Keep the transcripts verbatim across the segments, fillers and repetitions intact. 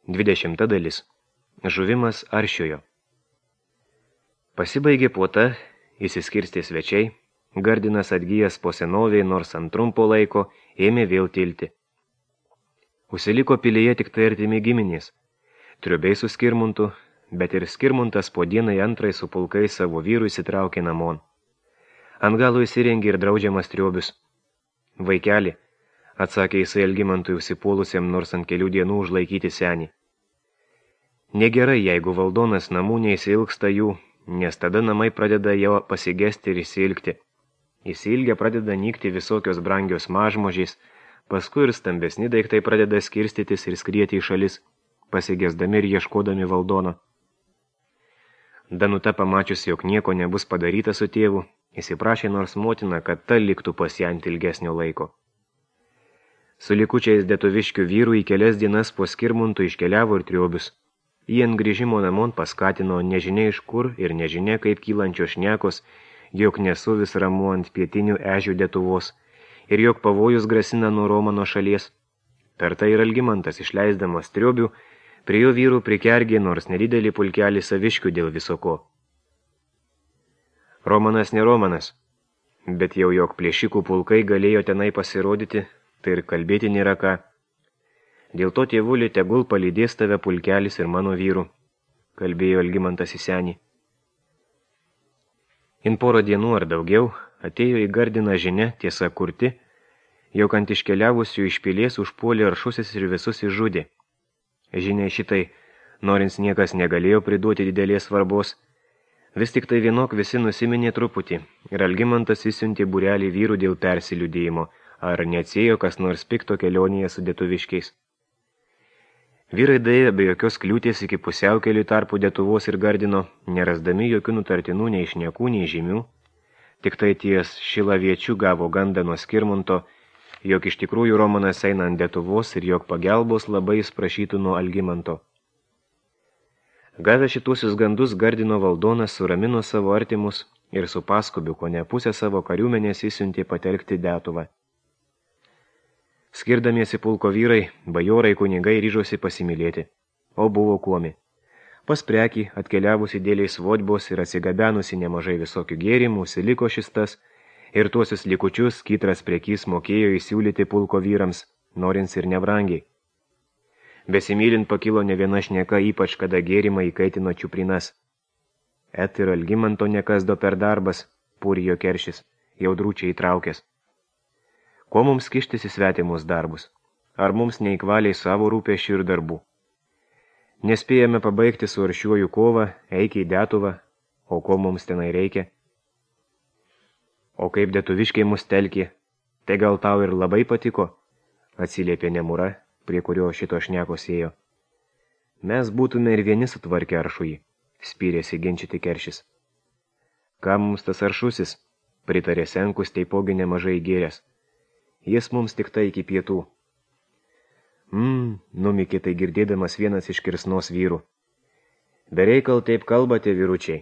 Dvidešimta dalis. Žuvimas Aršiojo. Pasibaigė puota, įsiskirstė svečiai, Gardinas atgyjęs po senoviai, nors ant trumpo laiko, ėmė vėl tilti. Užsiliko pilyje tik tai artimi giminės, Triubiai su Skirmuntu, bet ir Skirmuntas po dienai antrai su pulkais savo vyrų įsitraukė namon. Ant galo įsirengė ir draudžiamas Triubius. Vaikeli, atsakė jisai Algimantui užsipuolusiam nors ant kelių dienų užlaikyti senį. Negerai, jeigu valdonas namų neįsilgsta jų, nes tada namai pradeda jau pasigesti ir įsilgti. Įsilgę pradeda nykti visokios brangios mažmožiais, paskui ir stambesni daiktai pradeda skirstytis ir skrieti į šalis, pasigesdami ir ieškodami valdono. Danuta pamačius, jog nieko nebus padaryta su tėvu, įsiprašė nors motina, kad ta liktų pas ją ant ilgesnio laiko. Su likučiais dėtuviškių vyrų į kelias dienas po Skirmuntu iškeliavo ir Triubius. Jie ant grįžimo namon paskatino nežinia iš kur ir nežinia kaip kylančios šnekos, jog nesu vis ramu ant pietinių ežių Lietuvos ir jog pavojus grasina nuo Romano šalies. Per tai ir Algimantas, išleisdamas Triubių, prie jo vyrų prikergė nors nedidelį pulkelį saviškių dėl visoko. Romanas ne Romanas, bet jau jog plėšikų pulkai galėjo tenai pasirodyti, tai ir kalbėti nėra ką. Dėl to tėvulį tegul palydės tave pulkelis ir mano vyrų, kalbėjo Algimantas į senį. In porą dienų ar daugiau atėjo į Gardiną žinia, tiesa kurti, jog ant iškeliavusių iš pilies užpuolė Aršusis ir visus išžudė. Žinia šitai, norins niekas negalėjo priduoti didelės svarbos, vis tik tai vienok visi nusiminė truputį ir Algimantas įsiuntė būrelį vyrų dėl persiliudėjimo, ar neatsėjo kas nors pikto kelionėje su dėtuviškiais. Vyrai daėjo be jokios kliūties iki pusiaukelių tarpų Lietuvos ir Gardino, nerasdami jokių nutartinų nei šnekų, nei žymių, tik tai ties Šilaviečių gavo gandą nuo Skirmunto, jog iš tikrųjų Romanas eina ant Lietuvos ir jog pagelbos labai jis prašytų nuo Algimanto. Gavę šituosius gandus, Gardino valdonas suramino savo artimus ir su paskubiu, ko ne pusę savo kariuomenės įsiuntė patelkti Lietuvą. Skirdamiesi pulko vyrai, bajorai kunigai ryžosi pasimylėti, o buvo kuomi. Pas prekį, atkeliavusi dėliais vodbos ir atsigabenusi nemažai visokių gėrimų, siliko šis tas, ir tuosius likučius Kytras prekys mokėjo įsiūlyti pulko vyrams, norins ir nebrangiai. Besimylint pakilo ne viena šneka, ypač kada gėrimą įkaitino čiuprinas. Et ir Algimanto nekasdo per darbas, pūrijo keršis, jau drūčiai įtraukęs. Ko mums kištis į svetimus darbus? Ar mums neįkvaliai savo rūpesčių ir darbų? Nespėjame pabaigti su Aršiuoju kovą, eik į Lietuvą, o ko mums tenai reikia? O kaip dėtuviškiai mus telkė, tai gal tau ir labai patiko? Atsiliepė Nemura, prie kurio šito šnekos ėjo. Mes būtume ir vieni sutvarkę Aršųjį, spyrėsi ginčyti keršis. Ką mums tas Aršusis? Pritarė Senkus, teipogi nemažai gėręs. Jis mums tik tai iki pietų. Mmm, numikė tai girdėdamas vienas iš kirsnos vyrų. Bereikal taip kalbate, vyručiai,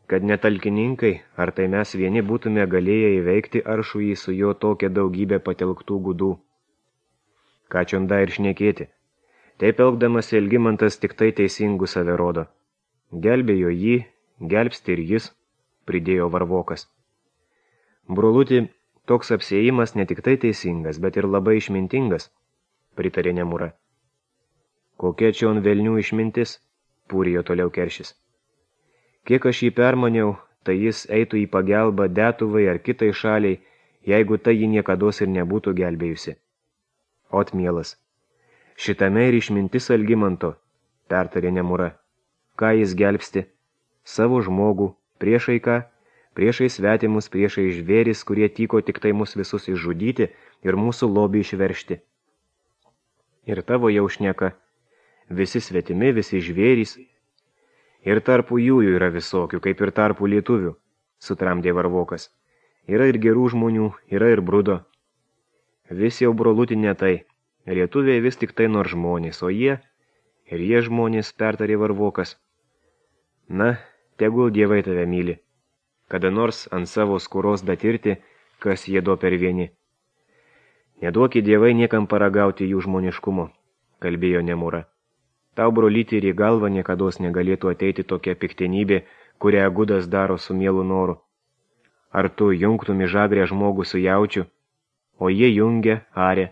kad netalkininkai, ar tai mes vieni būtume galėję įveikti Aršųjį su jo tokia daugybė patelktų gudų. Ką čionda ir šnekėti. Taip elgdamas Algimantas tik tai teisingų save rodo. Gelbėjo jį, gelbsti ir jis, pridėjo Varvokas. Broluti, toks apsėjimas ne tik tai teisingas, bet ir labai išmintingas, pritarė Nemura. Kokia čia on velnių išmintis, pūrijo toliau keršis. Kiek aš jį permaniau, tai jis eitų į pagelbą Lietuvai ar kitai šaliai, jeigu tai jį niekados ir nebūtų gelbėjusi. Ot mielas, šitame ir išmintis Algimanto, pertarė Nemura. Ką jis gelbsti? Savo žmogų, priešai ką? Priešai svetimus, priešai žvėris, kurie tyko tik tai mus visus išžudyti ir mūsų lobį išveršti. Ir tavo jau šneka, visi svetimi, visi žvėrys. Ir tarpų jų yra visokių, kaip ir tarpų lietuvių, sutramdė Varvokas. Yra ir gerų žmonių, yra ir brudo. Vis jau brolutį ne tai, lietuviai vis tik tai nors žmonės, o jie, ir jie žmonės, pertarė Varvokas. Na, tegul dievai tave myli. Kada nors ant savo skuros datirti, kas jie do per vieni. Neduokit dievai niekam paragauti jų žmoniškumo, kalbėjo Nemura. Tau, brolyti, ir į galvą niekados negalėtų ateiti tokia piktenybė, kurią Gudas daro su mielu noru. Ar tu jungtum į žagrę žmogų su jaučiu, o jie jungia, arė.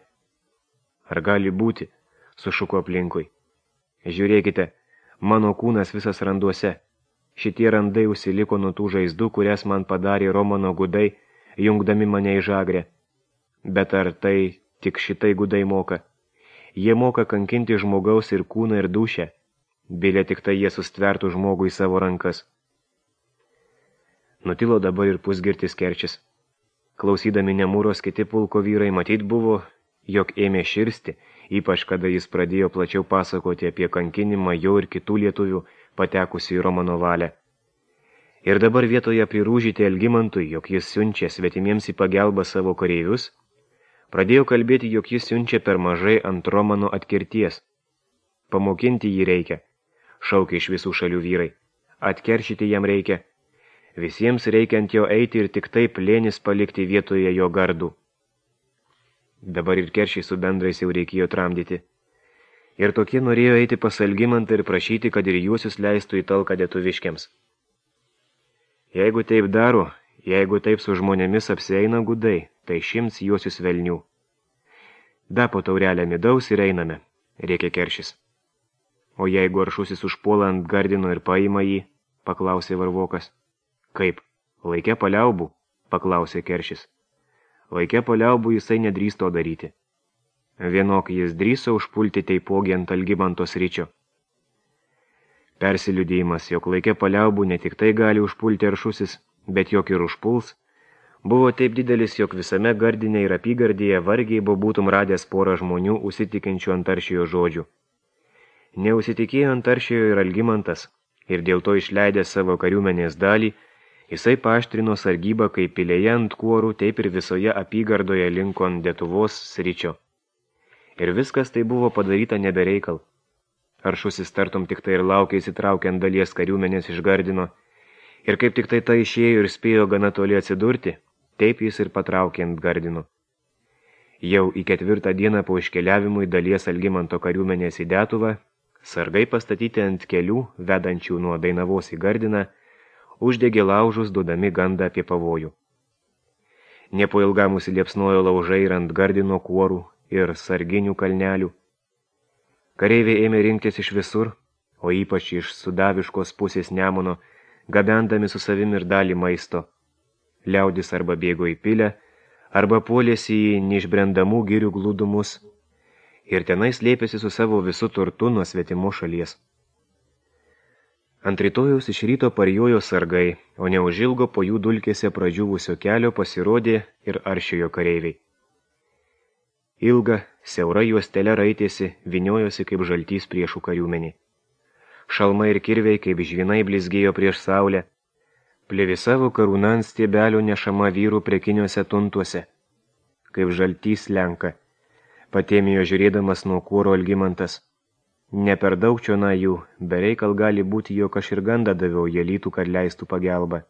Ar gali būti, sušuko aplinkui. Žiūrėkite, mano kūnas visas randuose. Šitie randai užsiliko nuo tų žaizdų, kurias man padarė Romano gudai, jungdami mane į žagrę. Bet ar tai tik šitai gudai moka? Jie moka kankinti žmogaus ir kūną ir dūšę. Bilė tik tai jie sustvertų žmogų į savo rankas. Nutilo dabar ir pusgirtis Kerčis. Klausydami Nemūros kiti pulko vyrai matyt buvo, jog ėmė širsti, ypač kada jis pradėjo plačiau pasakoti apie kankinimą jo ir kitų lietuvių patekusių į Romano valią. Ir dabar vietoje prirūžyti Algimantui, jog jis siunčia svetimiems į pagelbą savo kareivius, pradėjo kalbėti, jog jis siunčia per mažai ant Romano atkirties. Pamokinti jį reikia, šaukė iš visų šalių vyrai. Atkeršyti jam reikia. Visiems reikia ant jo eiti ir tik taip lėnis palikti vietoje jo gardų. Dabar ir Keršiai su bendrais jau reikėjo tramdyti. Ir tokie norėjo eiti pas Algimantą ir prašyti, kad ir juosius leistų į talką lietuviškiams. Jeigu taip daro, jeigu taip su žmonėmis apsieina gudai, tai šimts juosius velnių. Da po taurelę midaus ir einame, rėkė Keršis. O jeigu aršusis užpuola ant Gardino ir paima jį, paklausė Varvokas. Kaip, laike paliaubų, paklausė Keršis. Laike paliaubų jisai nedrįsto daryti. Vienok jis drįso užpulti taipogi ant Algimanto sričio. Persiliudėjimas, jog laike paliaubų ne tik tai gali užpulti aršusis, bet jog ir užpuls, buvo taip didelis, jog visame Gardine ir apygardėje vargiai buvo būtum radęs porą žmonių užsitikinčių Antaršijo žodžių. Neusitikėjo Antaršijo ir Algimantas, ir dėl to išleidęs savo kariuomenės dalį, jisai paaštrino sargybą kaip pilėje ant kuorų, taip ir visoje apygardoje linko ant Detuvos sričio. Ir viskas tai buvo padaryta nebereikal. Aršusis tartum tik tai ir laukė įsitraukiant dalies kariuomenės iš Gardino, ir kaip tik tai ta išėjo ir spėjo gana toli atsidurti, taip jis ir patraukė ant Gardino. Jau į ketvirtą dieną po iškeliavimui dalies Algimanto kariuomenės į Detuvą, sargai pastatyti ant kelių, vedančių nuo Dainavos į Gardiną, uždegė laužus, duodami gandą apie pavojų. Nepo ilgam užsiliepsnojo laužai ir ant Gardino kuorų ir sarginių kalnelių. Kareiviai ėmė rinktis iš visur, o ypač iš sudaviškos pusės Nemuno, gabendami su savim ir dalį maisto. Liaudis arba bėgo į pilę, arba puolėsi į neišbrendamų girių glūdumus, ir tenai slėpėsi su savo visu turtu nuo svetimo šalies. Ant rytojaus iš ryto parjojo sargai, o neužilgo po jų dulkėse pradžiūvusio kelio pasirodė ir Aršiojo kareiviai. Ilga, siaura juostelė raitėsi, viniojosi kaip žaltys priešų kariuomenį. Šalmai ir kirviai kaip žvinai blizgėjo prieš saulę, plėvisavo karūna ant stiebelio nešama vyrų prekiniuose tuntuose, kaip žaltys lenka, patėmijo žiūrėdamas nuo kuoro Algimantas. Ne per daug čiona jų, bereikal gali būti, jog aš ir gandą daviau jelytų, kad leistų pagelbą.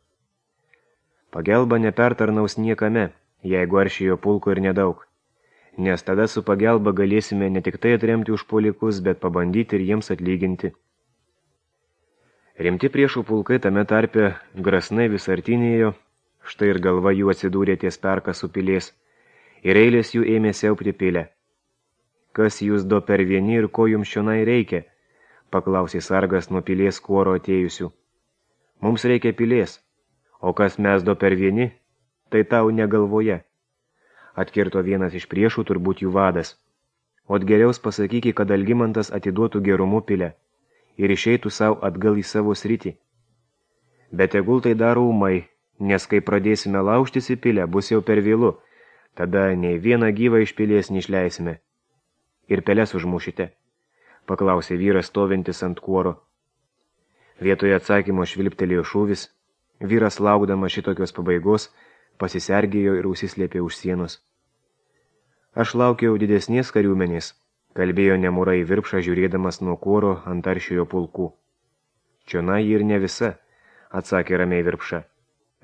Pagelba nepertarnaus niekame, jeigu Aršijo pulko ir nedaug, nes tada su pagelba galėsime ne tik tai atremti užpuolikus, bet pabandyti ir jiems atlyginti. Rimti priešų pulkai tame tarpe grasnai vis artinėjo, štai ir galva jų atsidūrė ties Perkasų pilies, ir eilės jų ėmė siaupti pilę. Kas jūs do per vieni ir ko jums šionai reikia? Paklausė sargas nuo pilies kuoro atėjusių. Mums reikia pilies, o kas mes do per vieni, tai tau negalvoje. Atkirto vienas iš priešų, turbūt jų vadas. Ot geriaus pasakyki, kad Algimantas atiduotų gerumu pilę ir išeitų savo atgal į savo sritį. Bet tegul tai daro ūmai, nes kai pradėsime laužtis į pilę, bus jau per vėlu, tada nei vieną gyvą iš pilies neišleisime. Ir peles užmušite, paklausė vyras stovintis ant kuoro. Vietoje atsakymo švilptelėjo šūvis, vyras laukdamas šitokios pabaigos, pasisergėjo ir užsislėpė už sienos. Aš laukiau didesnės kariuomenės, kalbėjo Nemūra į virpšą žiūrėdamas nuo kuoro ant Aršiojo pulkų. Čionai ir ne visa, atsakė ramiai virpša.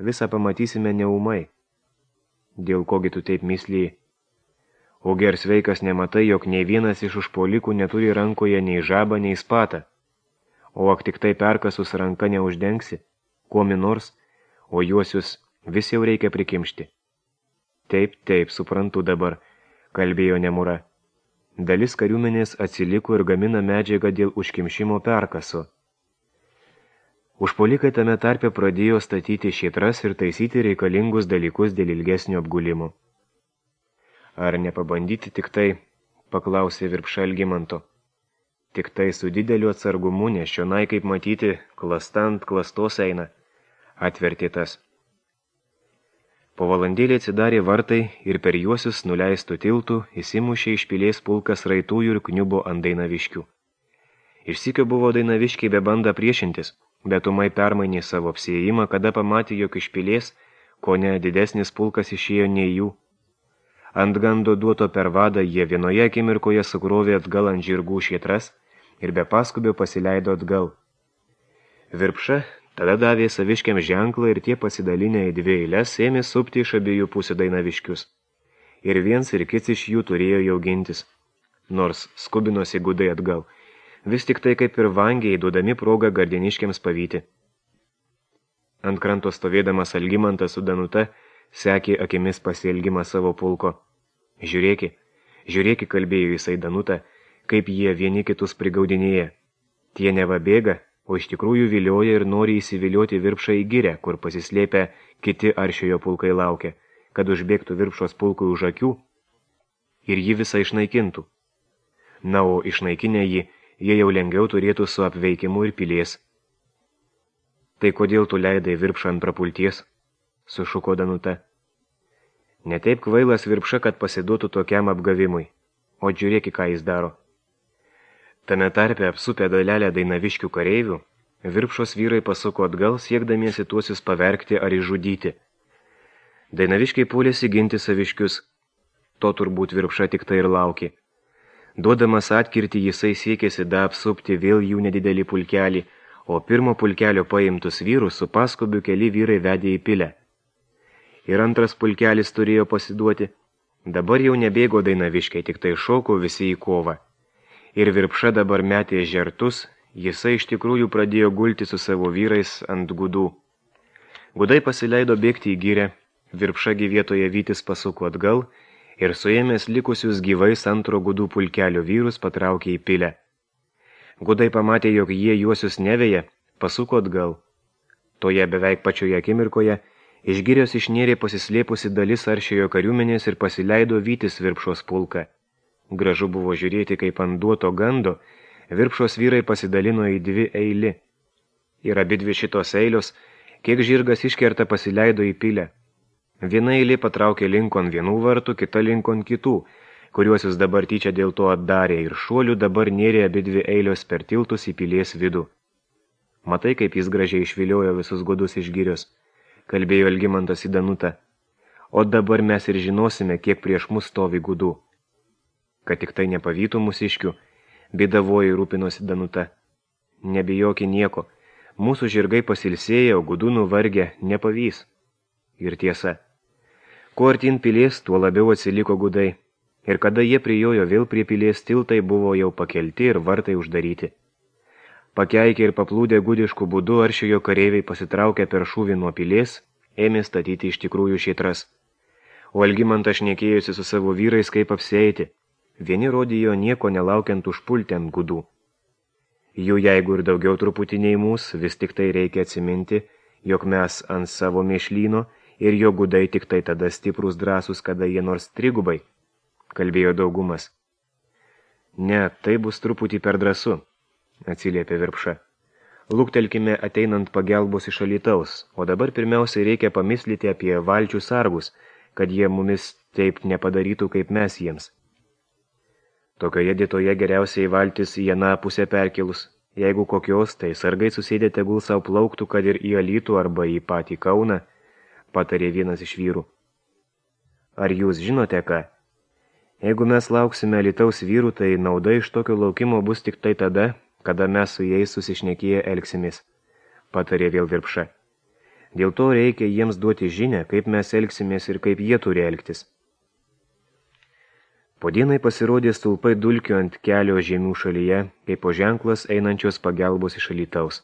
Visą pamatysime neūmai. Dėl kogi tu taip myslėjai? Ogi ar sveikas nematai, jog nei vienas iš užpuolikų neturi rankoje nei žabą, nei spatą. O ak tik tai perkasus ranka neuždengsi, kuomi nors, o juosius vis jau reikia prikimšti. Taip, taip, suprantu dabar, kalbėjo Nemura. Dalis kariuomenės atsiliko ir gamina medžiagą dėl užkimšimo perkaso. Užpuolikai tame tarpe pradėjo statyti šėtras ir taisyti reikalingus dalykus dėl ilgesnio apgulimo. Ar nepabandyti tik tai, paklausė Virpša Algimanto. Tik tai su dideliu atsargumu, nes čionai, kaip matyti, klastant klastos eina, atvertė tas. Po valandėlį atsidarė vartai ir per juosius nuleistų tiltų įsimušė iš pilies pulkas raitųjų ir kniubo ant Dainaviškių. Išsikio buvo Dainaviškiai be banda priešintis, bet umai permainė savo apsiėjimą, kada pamatė, jog iš pilies, ko ne didesnis pulkas išėjo nei jų. Ant gando duoto per vadą jie vienoje akimirkoje sukrovė atgal ant žirgų šėtras ir be paskubio pasileido atgal. Virpša tada davė saviškiam ženklą ir tie pasidalinę į dvi eiles ėmė supti iš abiejų pusių Dainaviškius. Ir viens ir kits iš jų turėjo jau gintis, nors skubinosi gudai atgal, vis tik tai kaip ir vangiai duodami progą gardiniškiams pavyti. Ant kranto stovėdamas Algimantas su Danuta sekė akimis pasielgimą savo pulko. Žiūrėki, žiūrėki, kalbėjo jisai Danutą, kaip jie vieni kitus prigaudinėja. Tie neva bėga, o iš tikrųjų vilioja ir nori įsivilioti Virpšą į girę, kur pasislėpę kiti aršiojo pulkai laukia, kad užbėgtų Virpšos pulkui už akių ir jį visą išnaikintų. Na, o išnaikinę jį, jie jau lengviau turėtų su apveikimu ir pilies. Tai kodėl tu leidai Virpšą ant prapulties? Sušuko Danuta. Ne taip kvailas Virpša, kad pasiduotų tokiam apgavimui, o žiūrėki, ką jis daro. Tame tarpe apsupę dalelę Dainaviškių kareivių, Virpšos vyrai pasuko atgal, siekdamiesi tuosius pavergti ar išžudyti. Dainaviškiai puolėsi ginti saviškius. To turbūt Virpša tik tai ir laukė. Duodamas atkirtį, jisai siekėsi da apsupti vėl jų nedidelį pulkelį, o pirmo pulkelio paimtus vyrus su paskubiu keli vyrai vedė į pilę. Ir antras pulkelis turėjo pasiduoti. Dabar jau nebėgo Dainaviškiai, tik tai šoko visi į kovą. Ir Virpša dabar metė žertus, jisai iš tikrųjų pradėjo gulti su savo vyrais ant gudų. Gudai pasileido bėgti į girę, Virpša gi vietoje vytis pasuko atgal ir suėmęs likusius gyvais antro gudų pulkelio vyrus patraukė į pilę. Gudai pamatė, jog jie juosius neveja, pasuko atgal. Toje beveik pačioje akimirkoje iš girios išnėrė pasislėpusi dalis aršiojo kariuomenės ir pasileido vytis Virpšos pulką. Gražu buvo žiūrėti, kaip ant duoto gando Virpšos vyrai pasidalino į dvi eili. Ir abidvi šitos eilios, kiek žirgas iškerta, pasileido į pilę. Viena eilė patraukė linkon vienų vartų, kita linkon kitų, kuriuosius dabar tyčia dėl to atdarė ir šuolių dabar nėrė abidvi eilios per tiltus į pilies vidų. Matai, kaip jis gražiai išviliojo visus gudus iš girios, kalbėjo Algimantas į Danutą. O dabar mes ir žinosime, kiek prieš mus stovi gudų. Kad tik tai nepavytų mūsiškių, bėdavoji rūpinosi Danuta. Nebijoki nieko, mūsų žirgai pasilsėję, o gudų nuvargę nepavys. Ir tiesa. Kuo artin pilies, tuo labiau atsiliko gudai. Ir kada jie prijojo vėl prie pilies, tiltai buvo jau pakelti ir vartai uždaryti. Pakeikę ir paplūdę gudiškų būdų aršiojo kareiviai pasitraukė per šūvį nuo pilies, ėmė statyti iš tikrųjų šėtras. O Algimantas šnekėjosi su savo vyrais, kaip apsieiti. Vieni rodijo nieko nelaukiant užpulti ant gudų. Jų jeigu ir daugiau truputį nei mūs, vis tik tai reikia atsiminti, jog mes ant savo mėšlyno ir jo gudai tik tai tada stiprus drąsus, kada jie nors trigubai, kalbėjo daugumas. Ne, tai bus truputį per drąsu, atsiliepė Virpša. Luktelkime ateinant pagelbos iš Alytaus, o dabar pirmiausiai reikia pamislyti apie valčių sargus, kad jie mumis taip nepadarytų, kaip mes jiems. Tokioje dietoje geriausiai valtis į aną pusę perkelus. Jeigu kokios, tai sargai susėdė tegul savo plauktų, kad ir į Alytų arba į patį Kauną, patarė vienas iš vyrų. Ar jūs žinote ką? Jeigu mes lauksime Alytaus vyrų, tai nauda iš tokio laukimo bus tik tai tada, kada mes su jais susišnekėję elgsimės, patarė vėl Virpša. Dėl to reikia jiems duoti žinią, kaip mes elgsimės ir kaip jie turi elgtis. Po dienai pasirodė stulpai dulkių ant kelio žemių šalyje, kaip po ženklas einančios pagelbos iš Alytaus.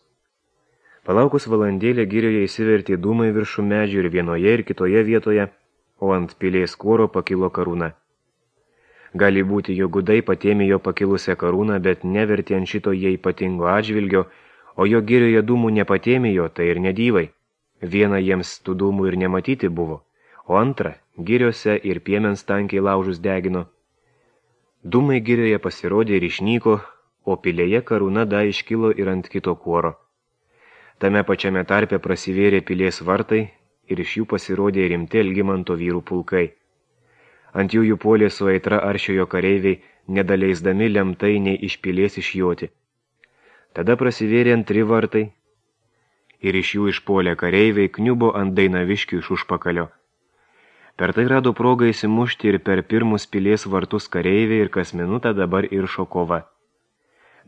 Palaukus valandėlę girioje įsivertė dūmai viršų medžių ir vienoje ir kitoje vietoje, o ant pilies kuoro pakilo karūna. Gali būti, jo gudai patėmė jo pakilusią karūną, bet nevertė ant šito jie ypatingo atžvilgio, o jo girioje dūmų nepatėmė jo, tai ir nedyvai. Viena jiems tų dūmų ir nematyti buvo, o antra, giriose ir piemens tankiai laužus degino. Dūmai girioje pasirodė ir išnyko, o pilėje karūna da iškilo ir ant kito kuoro. Tame pačiame tarpe prasivėrė pilies vartai ir iš jų pasirodė rimti Algimanto vyrų pulkai. Ant jų jų puolė su aitra aršiojo kareiviai, nedaleisdami lemtai nei iš pilies išjoti. Tada prasivėrė antri vartai ir iš jų išpuolė kareiviai, kniubo ant Dainaviškių iš užpakalio. Per tai rado progą įsimušti ir per pirmus pilies vartus kareiviai ir kas minutę dabar iršo kova.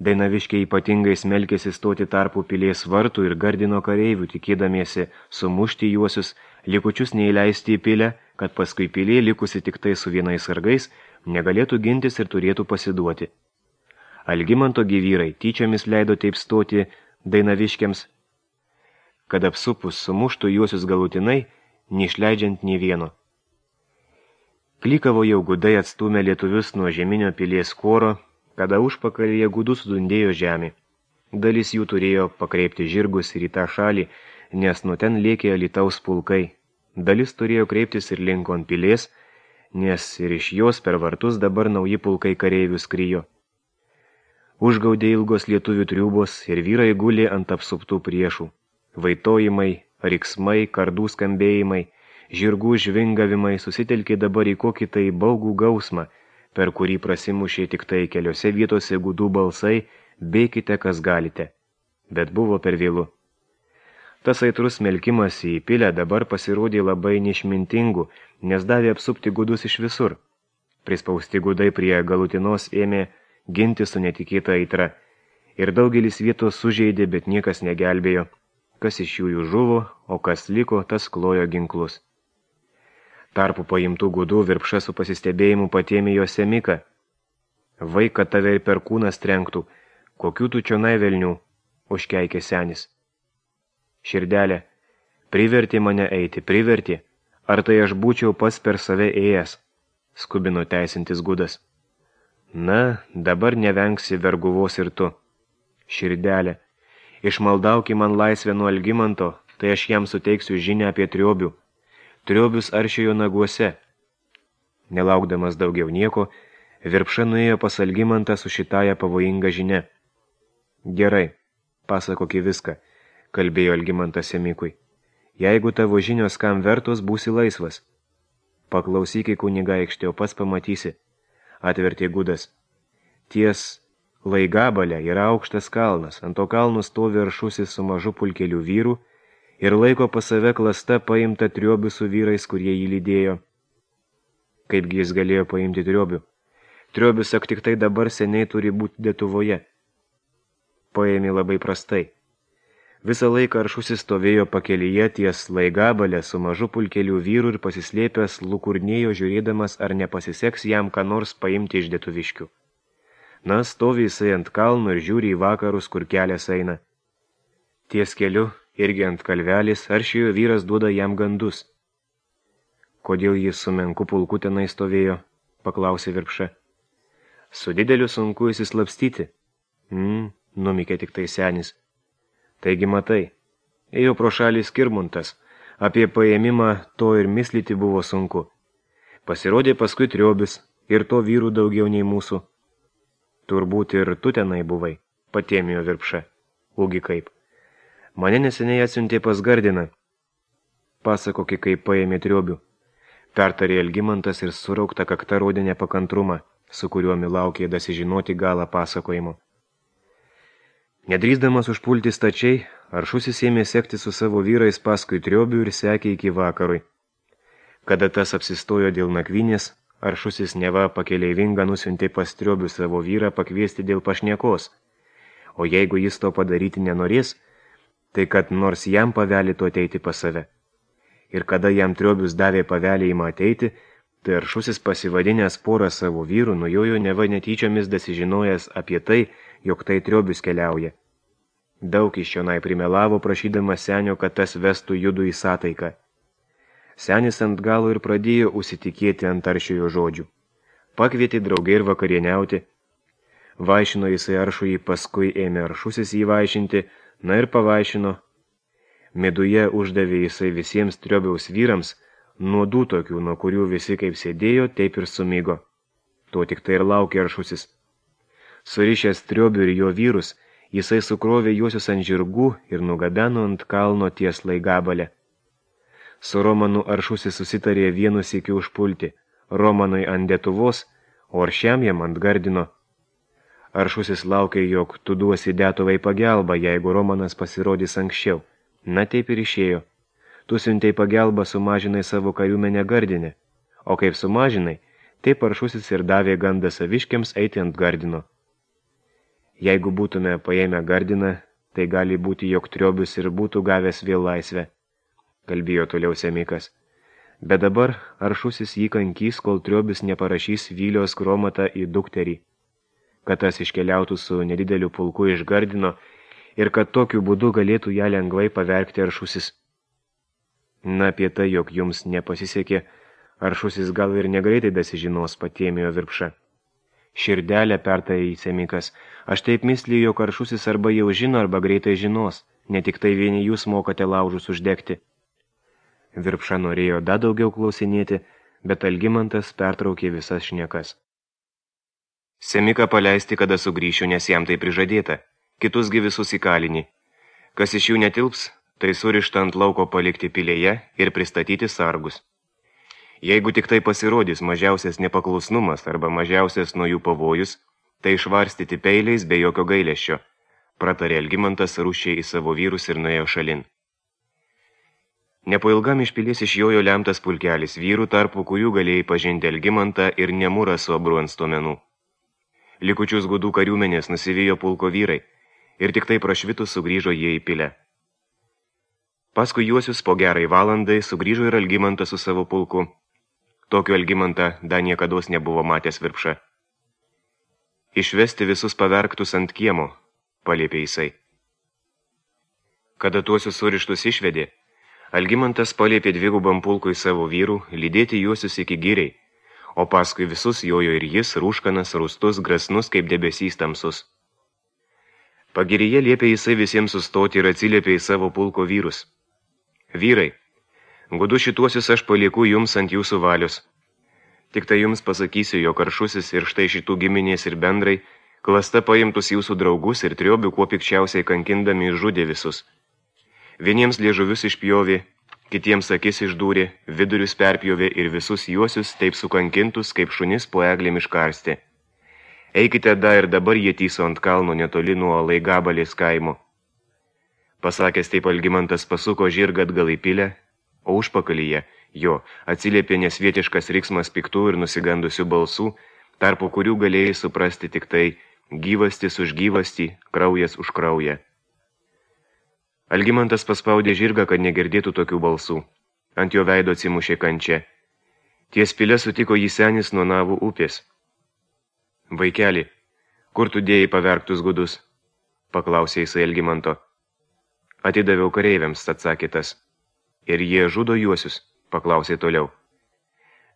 Dainaviškiai ypatingai smelkėsi stoti tarpų pilies vartų ir gardino kareivių, tikėdamiesi sumušti juosius, likučius neįleisti į pilę, kad paskui pilė likusi tik tai su vienais sargais, negalėtų gintis ir turėtų pasiduoti. Algimanto gyvyrai tyčiomis leido taip stoti Dainaviškiams, kad apsupus sumuštų juosius galutinai, neišleidžiant nei vieno. Klykavo jau gudai atstūmė lietuvius nuo žeminio pilies kuoro, kada užpakalyje gudų sudundėjo žemė. Dalis jų turėjo pakreipti žirgus ir į tą šalį, nes nuo ten lėkė Alytaus pulkai. Dalis turėjo kreiptis ir linko ant pilies, nes ir iš jos per vartus dabar nauji pulkai kareivių skrijo. Užgaudė ilgos lietuvių triūbos ir vyrai gulė ant apsuptų priešų. Vaitojimai, riksmai, kardų skambėjimai, žirgų žvingavimai susitelkė dabar į kokį tai baugų gausmą, per kurį prasimušė tik tai keliose vietose gudų balsai, bėkite, kas galite. Bet buvo per vėlu. Tas aitrus smelkimas į pilę dabar pasirodė labai neišmintingų, nes davė apsupti gudus iš visur. Prispausti gudai prie galutinos ėmė ginti su netikėta aitra, ir daugelis vietos sužeidė, bet niekas negelbėjo. Kas iš jų žuvo, o kas liko, tas klojo ginklus. Tarpu paimtų gudų Virpša su pasistebėjimu patėmė jo semiką. Vaiką tave ir per kūnas trenktų, kokių tu čionai velnių, užkeikė senis. Širdelė, privertė mane eiti, privertė, ar tai aš būčiau pats per save ėjęs, skubino teisintis gudas. Na, dabar nevengsi verguvos ir tu. Širdelė, išmaldauki man laisvę nuo Algimanto, tai aš jam suteiksiu žinią apie triobių. Triobius aršiojo naguose. Nelaukdamas daugiau nieko, Virpša nuėjo pas Algimantą su šitąją pavojingą žinia. Gerai, pasakoki viską, kalbėjo Algimantas semikui. Jeigu tavo žinios kam vertos, būsi laisvas. Paklausyk į kunigaikštį, o pats pamatysi, atvertė gudas. Ties Laigabalė yra aukštas kalnas, ant to kalno stovi aršusis su mažu pulkeliu vyrų ir laiko pas save klasta paimta triobių su vyrais, kurie jį lydėjo. Kaipgi jis galėjo paimti triobių? Triobius ak tik tai dabar seniai turi būti Lietuvoje. Paėmė labai prastai. Visą laiką aršusis stovėjo pakelyje ties Laigabalė su mažu pulkeliu vyrų ir pasislėpęs lukurnėjo žiūrėdamas, ar nepasiseks jam ką nors paimti iš Lietuviškių. Na, stovi jisai ant kalno ir žiūri į vakarus, kur kelias eina. Ties keliu, irgi ant kalvelis, aršiojo vyras duoda jam gandus. Kodėl jis su menku pulku tenai stovėjo, paklausė Virpša. Su dideliu sunku įsislapstyti. Mm, numikė tik tai senis. Taigi matai, ėjo pro šalį Skirmuntas, apie paėmimą to ir mislyti buvo sunku. Pasirodė paskui triobis, ir to vyrų daugiau nei mūsų. Turbūt ir tu tenai buvai, patėmėjo Virpša. Ugi kaip. Mane neseniai atsiuntė pas Gardiną. Pasakoki, kaip paėmė triobių. Pertarė Algimantas ir suraukta kakta rodė nepakantrumą, su kuriuo laukė dasižinoti galą pasakojimo. Nedrįsdamas užpulti stačiai, aršusis ėmė sekti su savo vyrais paskui triobių ir sekė iki vakarui. Kada tas apsistojo dėl nakvynės, aršusis neva pakeleivinga nusiuntė pas triobių savo vyrą pakviesti dėl pašniekos, o jeigu jis to padaryti nenorės, tai kad nors jam pavelėtų ateiti pas save. Ir kada jam triobius davė pavelėjimą ateiti, Tai Aršusis pasivadinęs porą savo vyrų nujojo neva netyčiomis dasižinojęs apie tai, jog tai Triobius keliauja. Daug iš čionai primelavo, prašydamas senio, kad tas vestų judu į sataiką. Senis ant galo ir pradėjo užsitikėti ant Aršiojo žodžių. Pakvietė draugai ir vakarieniauti. Vaišino jisai Aršųjį, paskui ėmė Aršusis jį vaišinti, na ir pavaišino. Meduje uždavė jisai visiems Triobiaus vyrams, nuodų tokių, nuo kurių visi kaip sėdėjo, taip ir sumigo. To tik tai ir laukė Aršusis. Surišęs Triobių ir jo vyrus, jisai sukrovė juosius ant žirgų ir nugabeno ant kalno ties Laigabalę. Su Romanu Aršusis susitarė vienu sykiu užpulti, Romanui ant Detuvos, o Aršiam jam ant Gardino. Aršusis laukė, jog tu duosi Detuvai pagelbą, jeigu Romanas pasirodys anksčiau. Na taip ir išėjo. Tu siuntei pagelbą, sumažinai savo kariuomenę Gardine, o kaip sumažinai, taip Aršusis ir davė gandą saviškiams eiti ant Gardino. Jeigu būtume paėmę Gardiną, tai gali būti, jog Triobius ir būtų gavęs vėl laisvę, kalbėjo toliau Semikas. Bet dabar Aršusis jį kankys, kol Triobius neparašys Vylios Kromatą į dukterį, kad tas iškeliautų su nedideliu pulku iš Gardino ir kad tokiu būdu galėtų ją lengvai pavergti Aršusis. Na, apie tai, jog jums nepasisekė, Aršusis gal ir negreitai dasižinos, patėmėjo Virpša. Širdelę pertarė į Semikas. Aš taip mysliju, jog Aršusis arba jau žino, arba greitai žinos, ne tik tai vieni jūs mokate laužus uždegti. Virpša norėjo dar daugiau klausinėti, bet Algimantas pertraukė visas šnekas. Semiką paleisti, kada sugrįšiu, nes jam tai prižadėta, kitusgi visus įkalinį. Kas iš jų netilps, tai surišta ant lauko palikti pilėje ir pristatyti sargus. Jeigu tik tai pasirodys mažiausias nepaklusnumas arba mažiausias nuo jų pavojus, tai išvarstyti peiliais be jokio gailesčio, pratarė Algimantas rūšiai į savo vyrus ir nuėjo šalin. Nepailgam iš pilies išjojo lemtas pulkelis vyrų, tarpu kurių galėjai pažinti Algimantą ir Nemūrą su abru ant stuomenų. Likučius gudų kariuomenės nusivijo pulko vyrai ir tik tai prašvitus sugrįžo jie į pilę. Paskui juosius po gerai valandai sugrįžo ir Algimantas su savo pulku. Tokio Algimantą dar niekados nebuvo matęs Virpša. Išvesti visus pavergtus ant kiemo, paliepė jisai. Kada tuosius surištus išvedė, Algimantas paliepė dvigubam pulkui savo vyrų lydėti juosius iki giriai, o paskui visus jojo ir jis, rūškanas, rūstus, grasnus kaip debesys tamsus. Pagiryje liepė jisai visiems sustoti ir atsiliepė į savo pulko vyrus. Vyrai, gudu šituosius aš palieku jums ant jūsų valios. Tik tai jums pasakysiu, jog Aršusis ir štai šitų giminės ir bendrai, klasta paimtus jūsų draugus ir Triobių kuo pikčiausiai kankindami išžudė visus. Vieniems liežuvius išpjovė, kitiems akis išdūrė, vidurius perpjovė ir visus juosius taip sukankintus, kaip šunis po eglėm iškarstė. Eikite da ir dabar jie tyso ant kalno netoli nuo Laigabalės kaimo. Pasakęs taip Algimantas pasuko žirgą atgal į pilę, o užpakalyje jo atsiliepė nesvietiškas riksmas piktų ir nusigandusių balsų, tarpu kurių galėjai suprasti tik tai gyvastis už gyvastį, kraujas už kraują. Algimantas paspaudė žirgą, kad negirdėtų tokių balsų. Ant jo veido atsimušė kančia. Ties pilę sutiko jį senis nuo Navų upės. Vaikeli, kur tu dėjai pavergtus gudus? Paklausė jisai Algimanto. Atidaviau kareiviams, atsakė tas. Ir jie žudo juosius, paklausė toliau.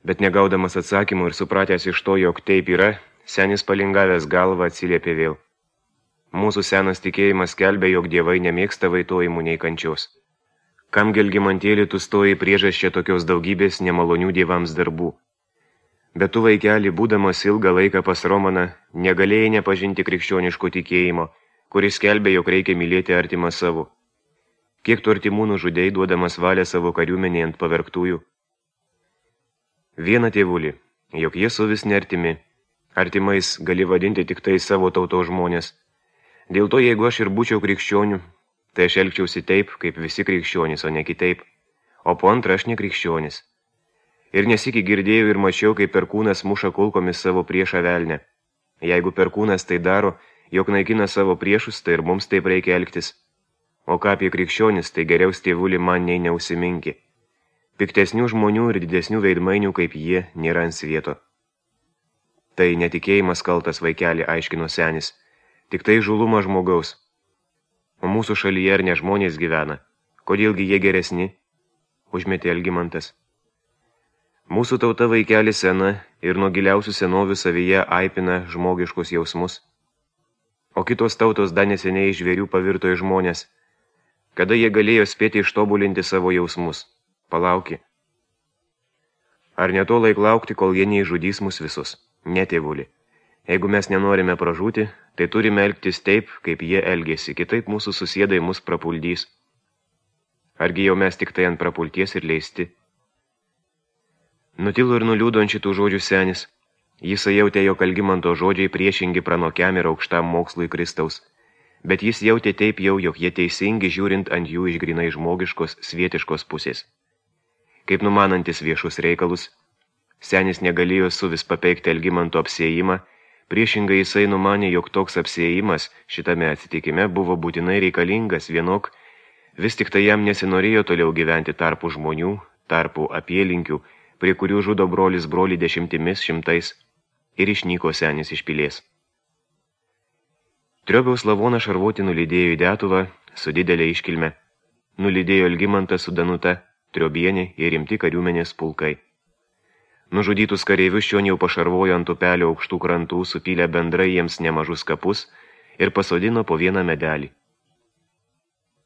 Bet negaudamas atsakymų ir supratęs iš to, jog taip yra, senis palingavęs galvą atsiliepė vėl. Mūsų senas tikėjimas skelbia, jog dievai nemėgsta vaitojimų nei kančios. Kam Algimantėlį tu stoji priežasčia tokios daugybės nemalonių dievams darbų? Bet tu, vaikeli, būdamas ilgą laiką pas Romaną, negalėjai nepažinti krikščioniško tikėjimo, kuris skelbia, jog reikia mylėti artimą savo. Kiek tu artimų nužudei, duodamas valią savo kariuomenei ant pavergtųjų? Viena tėvulį, jog jie su vis neartimi. Artimais gali vadinti tik tai savo tautos žmonės. Dėl to, jeigu aš ir būčiau krikščionių, tai aš elgčiausi taip, kaip visi krikščionys, o ne kitaip. O po antrą aš ne krikščionis. Ir nesikį girdėjau ir mačiau, kaip perkūnas muša kulkomis savo priešą velnę. Jeigu perkūnas tai daro, jog naikina savo priešus, tai ir mums taip reikia elgtis. O ką apie krikščionis, tai geriau tėvulį man nei neusiminki. Piktesnių žmonių ir didesnių veidmainių kaip jie nėra ant svieto. Tai netikėjimas kaltas, vaikeli, aiškino senis, tik tai žuluma žmogaus. O mūsų šalyje ar ne žmonės gyvena, kodėlgi jie geresni, užmetė Algimantas. Mūsų tauta, vaikeli, sena ir nuo giliausių senovių savyje aipina žmogiškus jausmus. O kitos tautos dar neseniai iš žvėrių pavirto į žmonės. Kada jie galėjo spėti ištobulinti savo jausmus? Palauki. Ar ne to laik laukti, kol jie neižudys mus visus? Ne, tėvuli. Jeigu mes nenorime pražūti, tai turime elgtis taip, kaip jie elgėsi, kitaip mūsų susėdai mus prapuldys. Argi jau mes tik tai ant prapulties ir leisti? Nutilo ir nuliūdo ant šitų žodžių senis. Jis jautė, jog Algimanto žodžiai priešingi pranokiam ir aukštam mokslui Kristaus, bet jis jautė taip jau, jog jie teisingi žiūrint ant jų iš grinai žmogiškos, svietiškos pusės. Kaip numanantis viešus reikalus, senis negalėjo suvis papeikti Algimanto apsiėjimą, priešingai jisai numanė, jog toks apsiėjimas šitame atsitikime buvo būtinai reikalingas vienok, vis tik tai jam nesinorėjo toliau gyventi tarpų žmonių, tarpų apylinkių, prie kurių žudo brolis brolį dešimtimis šimtais, ir išnyko senis iš pilies. Triobiaus lavoną šarvuotį nulydėjo į Detuvą su didelė iškilme. Nulydėjo Algimantą su Danuta, Triobienė ir rimti kariuomenės pulkai. Nužudytus kareivius šion jau pašarvojo ant upelio aukštų krantų, supylė bendrai jiems nemažus kapus ir pasodino po vieną medelį.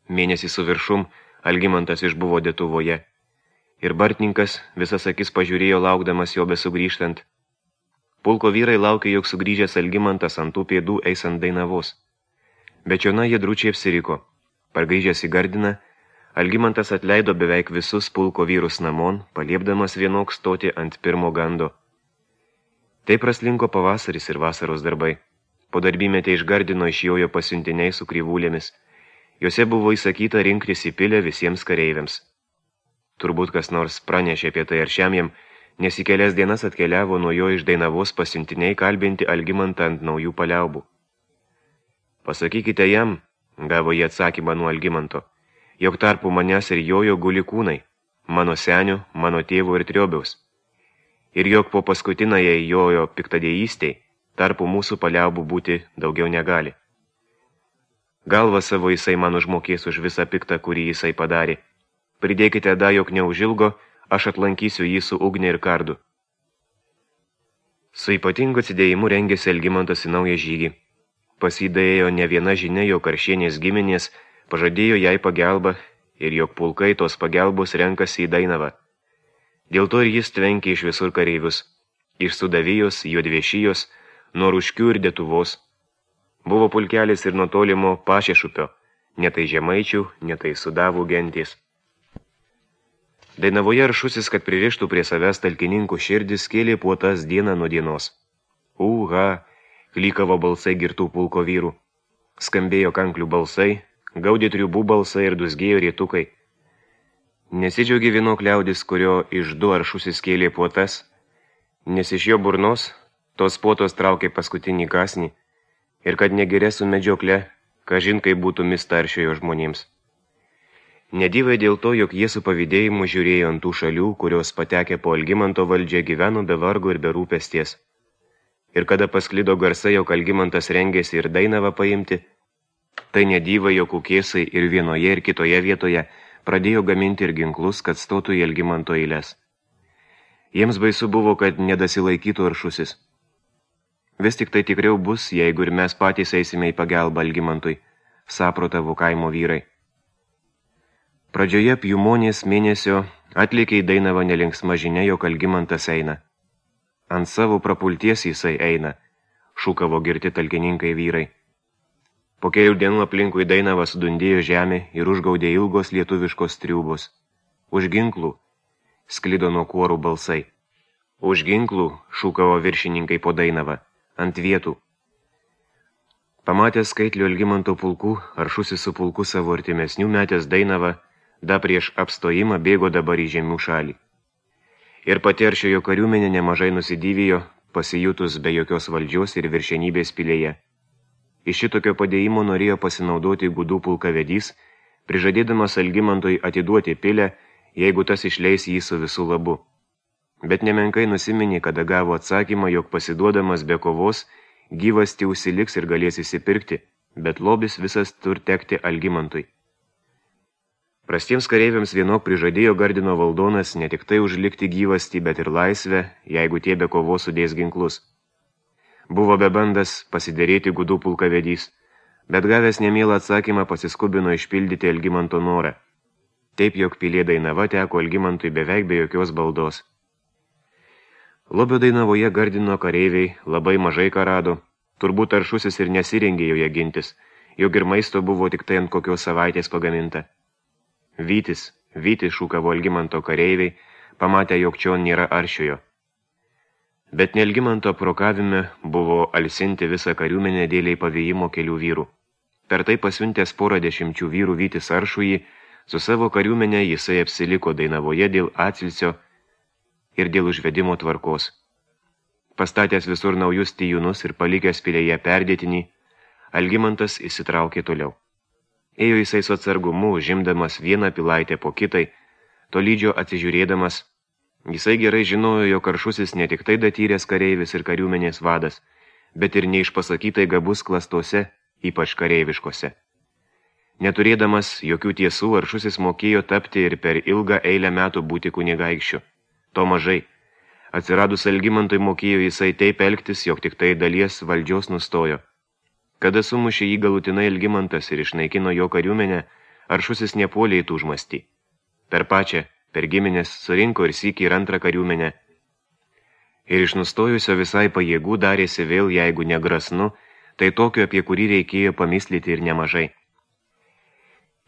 Mėnesį su viršum Algimantas išbuvo Detuvoje, ir bartininkas visas akis pažiūrėjo laukdamas jo besugrįžtant. Pulko vyrai laukė, jog sugrįžęs Algimantas ant tų pėdų eis ant Dainavos. Bet čiona jie drūčiai apsiriko. Pargrįžęs į Gardiną, Algimantas atleido beveik visus pulko vyrus namon, paliepdamas vienok stoti ant pirmo gando. Taip praslinko pavasaris ir vasaros darbai. Po darbymetę iš Gardino išjojo pasiuntiniai su kryvūlėmis. Jose buvo įsakyta rinktis į pilę visiems kareiviams. Turbūt kas nors pranešė apie tai Aršiamjam, nes į kelias dienas atkeliavo nuo jo iš Dainavos pasiuntiniai kalbinti Algimantą ant naujų paliaubų. Pasakykite jam, gavo jie atsakymą nuo Algimanto, jog tarpu manęs ir jojo guli kūnai, mano senio, mano tėvo ir Triobiaus, ir jog po paskutinąją jojo piktadėjystei, tarpu mūsų paliaubų būti daugiau negali. Galvą savo jisai man užmokės už visą piktą, kurį jisai padarė. Pridėkite da, jog neužilgo, aš atlankysiu jį su ugne ir kardu. Su ypatingu atsidėjimu rengėsi Algimantas į naują žygį. Pasidėjo ne viena žinia, jog Karšienės giminės pažadėjo jai pagelbą ir jog pulkai tos pagelbos renkasi į Dainavą. Dėl to ir jis tvenkė iš visur kareivius, iš Sudavijos, Juodviešijos, nuo Ruškių ir Detuvos. Buvo pulkelis ir nuo tolimo Pašešupio, ne tai žemaičių, ne tai Sudavų gentys. Dainavoje Aršusis, kad pririštų prie savęs talkininkų širdis, kėlė puotas dieną nuo dienos. Uha, klykavo balsai girtų pulko vyrų. Skambėjo kanklių balsai, gaudė triubų balsai ir dusgėjo rėtukai. Nesidžiaugė vienok liaudis, kurio iš du Aršusis kėlė puotas, nes iš jo burnos tos puotos traukė paskutinį kasnį, ir kad negirė su medžiokle, kažin kaip būtų mista Aršiojo žmonėms. Nedyvai dėl to, jog jie su pavydėjimu žiūrėjo ant tų šalių, kurios patekę po Algimanto valdžią gyveno be vargo ir be rūpesties. Ir kada pasklido garsai, jog Algimantas rengėsi ir Dainavą paimti, tai nedyvai, jog Kukėsai ir vienoje ir kitoje vietoje pradėjo gaminti ir ginklus, kad stotų į Algimanto eiles. Jiems baisu buvo, kad nedasilaikytų Aršusis. Vis tik tai tikriau bus, jeigu ir mes patys eisime į pagalbą Algimantui, saprotavo kaimo vyrai. Pradžioje Pjumonės mėnesio atlikė į Dainavą nelinksma žinia, jog Algimantas eina. Ant savo prapulties jisai eina, šūkavo girti talkininkai vyrai. Po kelių dienų aplinkui Dainavą sudundėjo žemė ir užgaudė ilgos lietuviškos triūbos. Už ginklų sklido nuo kuorų balsai. Už ginklų šūkavo viršininkai po Dainavą, ant vietų. Pamatęs skaitlio Algimanto pulkų, Aršusis su pulku savo artimesnių metęs Dainavą, da prieš apstojimą bėgo dabar į žemių šalį. Ir pati Aršiojo kariuomenė nemažai nusidyvijo, pasijutus be jokios valdžios ir viršenybės pilėje. Iš šitokio padėjimo norėjo pasinaudoti gudų pulkavedys, prižadėdamas Algimantui atiduoti pilę jeigu tas išleis jį su visų labu. Bet nemenkai nusiminė, kada gavo atsakymą, jog pasiduodamas be kovos, gyvasti užsiliks ir galės įsipirkti, bet lobis visas tur tekti Algimantui. Prastiems kareiviams vienok prižadėjo Gardino valdonas ne tik tai užlikti gyvastį, bet ir laisvę, jeigu tie be kovos sudės ginklus. Buvo bebandas pasiderėti gudų pulkavedys, bet gavęs nemielą atsakymą pasiskubino išpildyti Algimanto norą. Taip, jog pilė Dainava teko Algimantui beveik be jokios baldos. Lobio Dainavoje Gardino kareiviai labai mažai ką rado, turbūt Aršusis ir nesirengė joje gintis, jog ir maisto buvo tik tai ant kokios savaitės pagaminta. Vytis, Vytis šūkavo Algimanto kareiviai, pamatę, jog čion nėra Aršiojo. Bet ne Algimanto prokavime buvo alsinti visą kariuomenę dėliai pavėjimo kelių vyrų. Per tai pasiuntęs porą dešimčių vyrų Vytis Aršųjį, su savo kariuomenė jisai apsiliko Dainavoje dėl atsilsio ir dėl užvedimo tvarkos. Pastatęs visur naujus tijūnus ir palikęs pilėje perdėtinį, Algimantas įsitraukė toliau. Ėjo jisai su atsargumu, žimdamas vieną pilaitę po kitai, tolydžio atsižiūrėdamas. Jisai gerai žinojo, jog Aršusis ne tik tai datyręs kareivis ir kariuomenės vadas, bet ir neišpasakytai gabus klastose, ypač kareiviškose. Neturėdamas jokių tiesų, Aršusis mokėjo tapti ir per ilgą eilę metų būti kunigaikščiu. To mažai. Atsiradus Algimantui mokėjo jisai taip elgtis, jog tik tai dalies valdžios nustojo. Kada sumušė jį galutinai Algimantas ir išnaikino jo kariuomenę, Aršusis nepuolė į tūžmastį. Per pačią, per giminės, surinko ir sykį ir antrą kariuomenę. Ir iš nustojusio visai pajėgų darėsi vėl, jeigu negrasnu, tai tokio, apie kurį reikėjo pamislyti ir nemažai.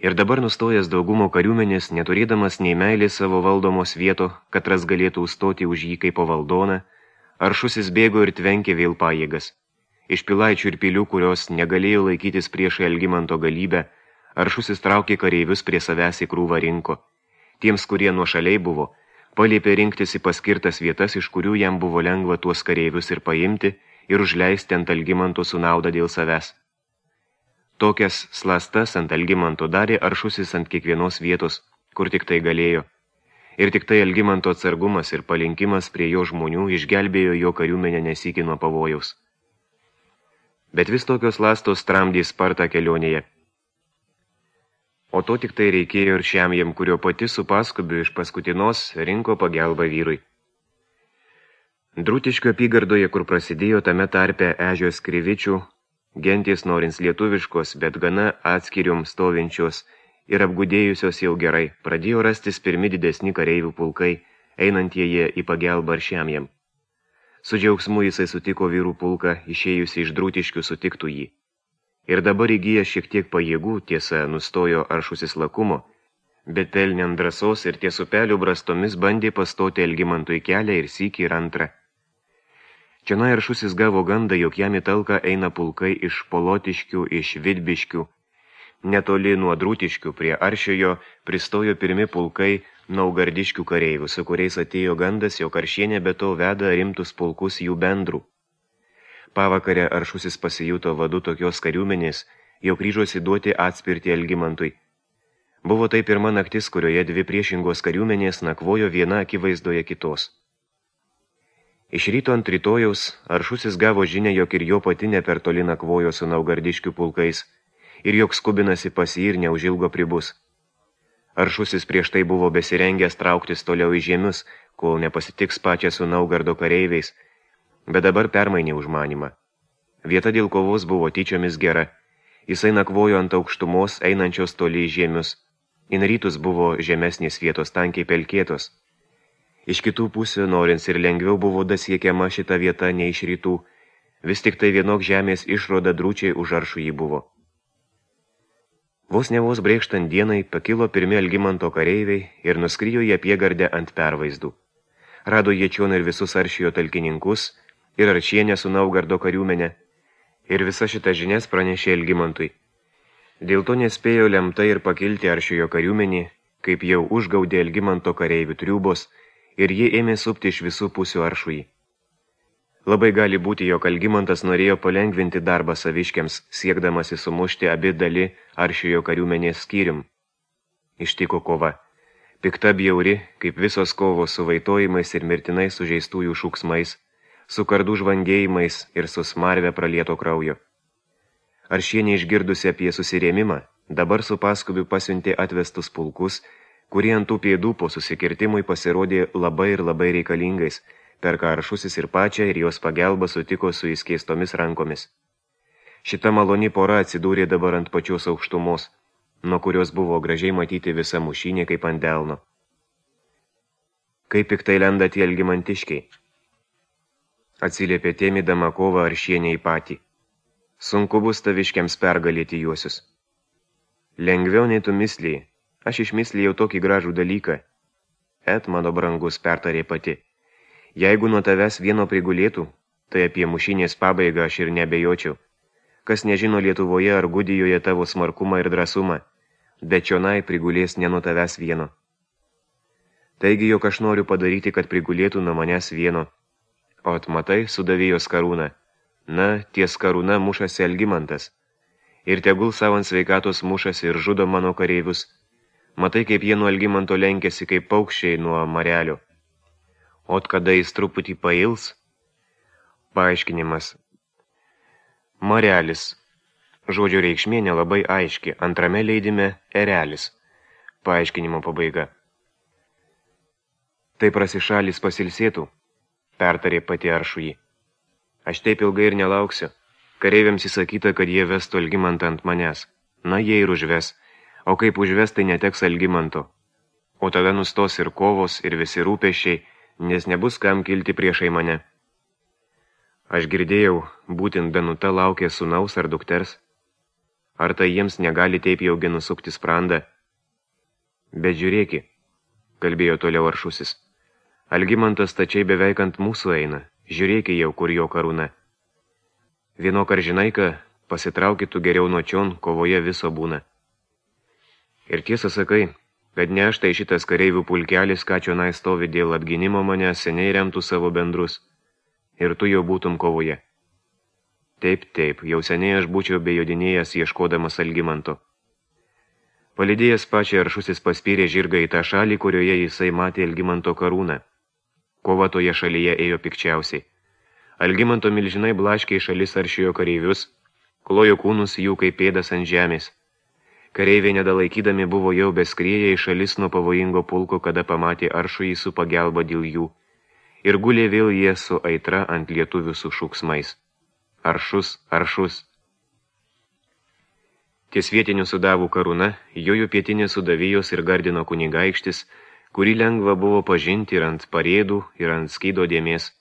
Ir dabar nustojęs daugumo kariuomenės, neturėdamas nei meilės savo valdomos vieto, katras galėtų užstoti už jį kaip po valdoną, Aršusis bėgo ir tvenkė vėl pajėgas. Iš pilaičių ir pilių, kurios negalėjo laikytis priešai Algimanto galybę, Aršusis traukė kareivius prie savęs į krūvą rinko. Tiems, kurie nuošaliai buvo, paliepė rinktis į paskirtas vietas, iš kurių jam buvo lengva tuos kareivius ir paimti ir užleisti ant Algimanto su nauda dėl savęs. Tokias slastas ant Algimanto darė Aršusis ant kiekvienos vietos, kur tik tai galėjo. Ir tik tai Algimanto atsargumas ir palinkimas prie jo žmonių išgelbėjo jo kariuomenę nesykį nuo pavojaus. Bet vis tokios lastos tramdė spartą kelionėje. O to tik tai reikėjo ir šiam jam, kurio pati su paskubiu iš paskutinos rinko pagelbą vyrui. Drūtiškio apygardoje, kur prasidėjo tame tarpe ežios krivičių, gentys norins lietuviškos, bet gana atskirium stovinčios ir apgudėjusios jau gerai, pradėjo rastis pirmi didesni kareivių pulkai, einantieji į pagelbą šiam jam. Su džiaugsmu jisai sutiko vyrų pulką, išėjusi iš Drūtiškių sutiktų jį. Ir dabar įgyja šiek tiek pajėgų, tiesa, nustojo Aršusis lakumo, bet pelniant drąsos ir ties upelių brastomis bandė pastoti Algimantui kelią ir sykį ir antrą. Čionai Aršusis gavo gandą, jog jam į talką eina pulkai iš Polotiškių, iš Vidbiškių. Netoli nuo Drūtiškių prie Aršiojo pristojo pirmi pulkai Naugardiškių kareivių, su kuriais atėjo gandas, jog Aršienė be to veda rimtus pulkus jų bendrų. Pavakarę Aršusis pasijuto vadu tokios kariuomenės, jog ryžosi duoti atspirtį Algimantui. Buvo tai pirma naktis, kurioje dvi priešingos kariuomenės nakvojo viena akivaizdoje kitos. Iš ryto ant rytojaus Aršusis gavo žinią, jog ir jo pati ne per toli nakvojo su Naugardiškių pulkais ir jog skubinasi pas jį ir neužilgo pribus. Aršusis prieš tai buvo besirengęs trauktis toliau į žiemius, kol nepasitiks pačią su Naugardo kareiviais, bet dabar permainė užmanymą. Vieta dėl kovos buvo tyčiomis gera. Jisai nakvojo ant aukštumos, einančios toli į žiemius. In rytus buvo žemesnės vietos tankiai pelkėtos. Iš kitų pusių, norins ir lengviau buvo dasiekiama šita vieta nei iš rytų, vis tik tai vienok žemės išroda Drūčiai už Aršų jį buvo. Vos ne vos brėkštant dienai pakilo pirmi Algimanto kareiviai ir nuskrijo į apygardę ant pervaizdų. Rado jie čion ir visus Aršijo talkininkus, ir Aršienę su Naugardo kariuomenė, ir visa šita žinias pranešė Algimantui. Dėl to nespėjo lemtai ir pakilti Aršijo kariuomenį, kaip jau užgaudė Algimanto kareivių triūbos, ir jie ėmė supti iš visų pusių Aršųjį. Labai gali būti, jog Algimantas norėjo palengvinti darbą saviškiams, siekdamasi sumušti abi dali Aršijo kariuomenės skyrium. Ištiko kova. Pikta bjauri, kaip visos kovos su vaitojimais ir mirtinai sužeistųjų šūksmais, su kardų žvangėjimais ir su smarve pralieto kraujo. Aršienė išgirdusi apie susirėmimą, dabar su paskubiu pasiuntė atvestus pulkus, kurie ant tų pėdų po susikirtimui pasirodė labai ir labai reikalingais, per ką Aršusis ir pačią ir jos pagelbą sutiko su įskeistomis rankomis. Šita maloni pora atsidūrė dabar ant pačios aukštumos, nuo kurios buvo gražiai matyti visa mušinė kaip ant delno. Kaip piktai lenda tie algimantiškiai, atsiliepė tėmydama kovą Aršienė į patį. Sunku bus taviškiams pergalėti juosius. Lengviau nei tu misliai, aš išmislijau tokį gražų dalyką. Et, mano brangus, pertarė pati. Jeigu nuo tavęs vieno prigulėtų, tai apie mušinės pabaigą aš ir nebejočiau. Kas nežino Lietuvoje ar Gudijoje tavo smarkumą ir drąsumą, bet čionai prigulės ne nuo tavęs vieno. Taigi, jog aš noriu padaryti, kad prigulėtų nuo manęs vieno. O atmatai, sudavėjos karūną. Na, ties karūna mušasi Algimantas. Ir tegul savo ant sveikatos mušasi ir žudo mano kareivius. Matai, kaip jie nuo Algimanto lenkėsi kaip paukščiai nuo marelio. Ot kada jis truputį pails? Paaiškinimas. Marelis. Žodžio reikšmė nelabai aiški, antrame leidime erelis. Paaiškinimo pabaiga. Tai prasišalis pasilsėtų, pertarė pati Aršujį. Aš taip ilgai ir nelauksiu. Kareiviams įsakyta, kad jie vestų Algimantą ant manęs. Na, jie ir užves. O kaip užves, tai neteks Algimanto. O tada nustos ir kovos, ir visi rūpesčiai, nes nebus kam kilti priešai mane. Aš girdėjau, būtent Danuta laukė sūnaus ar dukters. Ar tai jiems negali taip jaugi nusukti sprandą? Bet žiūrėki, kalbėjo toliau Aršusis. Algimantas tačiai beveik ant mūsų eina, žiūrėki jau, kur jo karūna. Vienok ar žinai, ką, pasitraukit tu geriau nuo čion, kovoje viso būna. Ir tiesą sakai, kad ne aš tai šitas kareivių pulkelis, ką čionai stovi dėl apginimo mane, seniai remtų savo bendrus. Ir tu jau būtum kovoje. Taip, taip, jau seniai aš būčiau bejodinėjęs ieškodamas Algimanto. Palydėjęs pačią Aršusis paspyrė žirgą į tą šalį, kurioje jisai matė Algimanto karūną. Kova toje šalyje ėjo pikčiausiai. Algimanto milžinai blaškė į šalis Aršiojo kareivius, klojo kūnus jų kaip pėdas ant žemės. Kareiviai nedalaikydami buvo jau beskrieję į šalis nuo pavojingo pulko, kada pamatė Aršujį su pagelba dėl jų. Ir gulė vėl jie su aitra ant lietuvių su šūksmais. Aršus, Aršus. Ties vietinių sudavų karūna, jojo pietinės sudavėjos ir gardino kunigaikštis, kurį lengva buvo pažinti ir ant parėdų, ir ant skydo dėmės.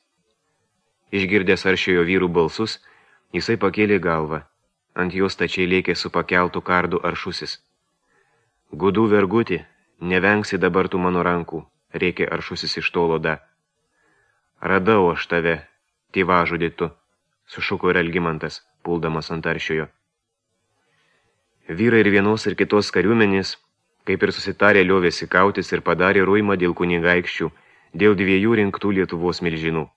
Išgirdęs Aršiojo vyrų balsus, jisai pakėlė galvą. Ant jos tačiai lėkė su pakeltu kardu Aršusis. Gudų verguti, nevengsi dabar tu mano rankų, rėkė Aršusis iš tolo da. Radau aš tave, tėvažudį tu, sušuko ir Algimantas, puldamas ant Aršiojo. Vyrai ir vienos ir kitos kariuomenės, kaip ir susitarė, liovėsi kautis ir padarė ruimą dėl kunigaikščių, dėl dviejų rinktų Lietuvos milžinų.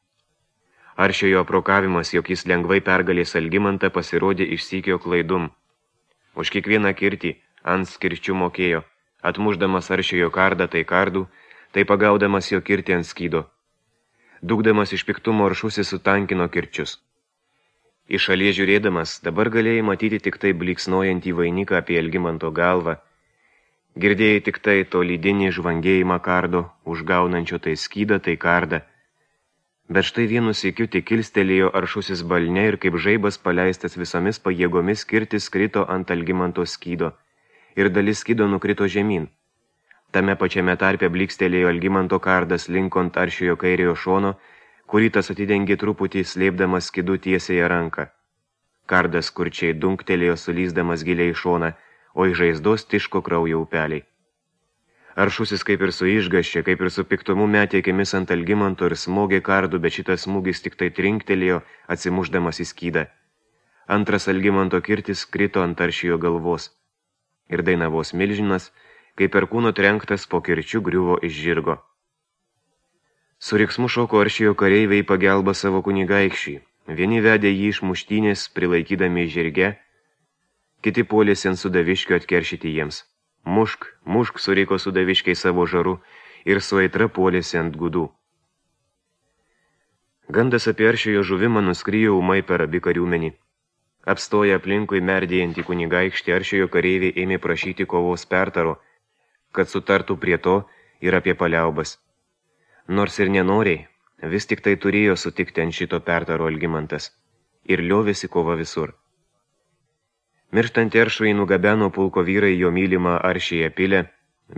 Aršiojo aprokavimas, jog jis lengvai pergalės Algimantą, pasirodė išsykio klaidum. Už kiekvieną kirtį ant skirčių mokėjo, atmušdamas Aršiojo kardą tai kardų, tai pagaudamas jo kirtį ant skydo. Dūkdamas iš piktumo Aršusis sutankino kirčius. Iš šalies žiūrėdamas, dabar galėjai matyti tik tai bliksnojantį vainiką apie Algimanto galvą. Girdėjai tik tai to lydinį žvangėjimą kardo, užgaunančio tai skydą, tai kardą. Bet štai vienu sykiu tik kilstelėjo Aršusis balne ir kaip žaibas paleistas visomis pajėgomis kirtis krito ant Algimanto skydo ir dalis skydo nukrito žemyn. Tame pačiame tarpe blikstelėjo Algimanto kardas linkont Aršiojo kairiojo šono, kurį tas atidengė truputį slėpdamas skydu tiesiąją ranką. Kardas kurčiai dunktelėjo sulysdamas giliai į šoną, o iš žaizdos tiško kraujo upeliai. Aršusis kaip ir su išgaščia, kaip ir su piktumu metė akimis ant Algimanto ir smogė kardu, bet šitas smūgis tik tai trinktelėjo, atsimušdamas į skydą. Antras Algimanto kirtis krito ant Aršiojo galvos. Ir Dainavos milžinas, kaip per kūno trenktas po kirčių griuvo iš žirgo. Su riksmu šoko Aršiojo kareiviai pagelba savo kunigaikščiui. Vieni vedė jį iš muštynės, prilaikydami žirge, kiti puolėsi ant sudaviškio atkeršyti jiems. Mušk, mušk, suriko sudaviškiai savo žaru ir su aitra puolėsi ant gudų. Gandas apie aršiojo žuvimą nuskrijo ūmai per abi kariuomenį. Apstoję aplinkui merdėjantį kunigaikštį, aršiojo kareiviai ėmė prašyti kovos pertaro, kad sutartų prie to ir apie paliaubas. Nors ir nenoriai, vis tik tai turėjo sutikti ant šito pertaro Algimantas ir liovėsi kova visur. Mirštantį aršųjį nugabeno pulko vyrai jo mylimą aršėje pilę,